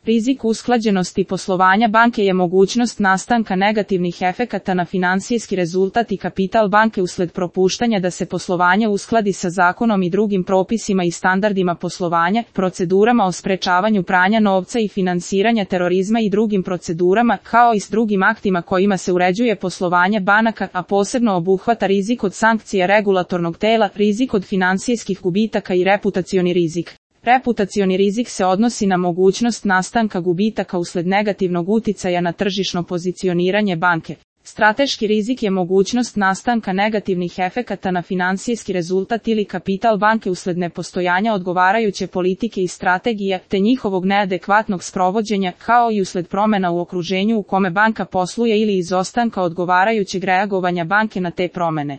Rizik usklađenosti poslovanja banke je mogućnost nastanka negativnih efekata na finansijski rezultat i kapital banke usled propuštanja da se poslovanje uskladi sa zakonom i drugim propisima i standardima poslovanja, procedurama o sprečavanju pranja novca i finansiranja terorizma i drugim procedurama, kao i s drugim aktima kojima se uređuje poslovanje banaka, a posebno obuhvata rizik od sankcija regulatornog tela, rizik od finansijskih gubitaka i reputacioni rizik. Reputacioni rizik se odnosi na mogućnost nastanka gubitaka usled negativnog uticaja na tržišno pozicioniranje banke. Strateški rizik je mogućnost nastanka negativnih efekata na finansijski rezultat ili kapital banke usled nepostojanja odgovarajuće politike i strategije, te njihovog neadekvatnog sprovođenja, kao i usled promjena u okruženju u kome banka posluje ili izostanka odgovarajućeg reagovanja banke na te promjene.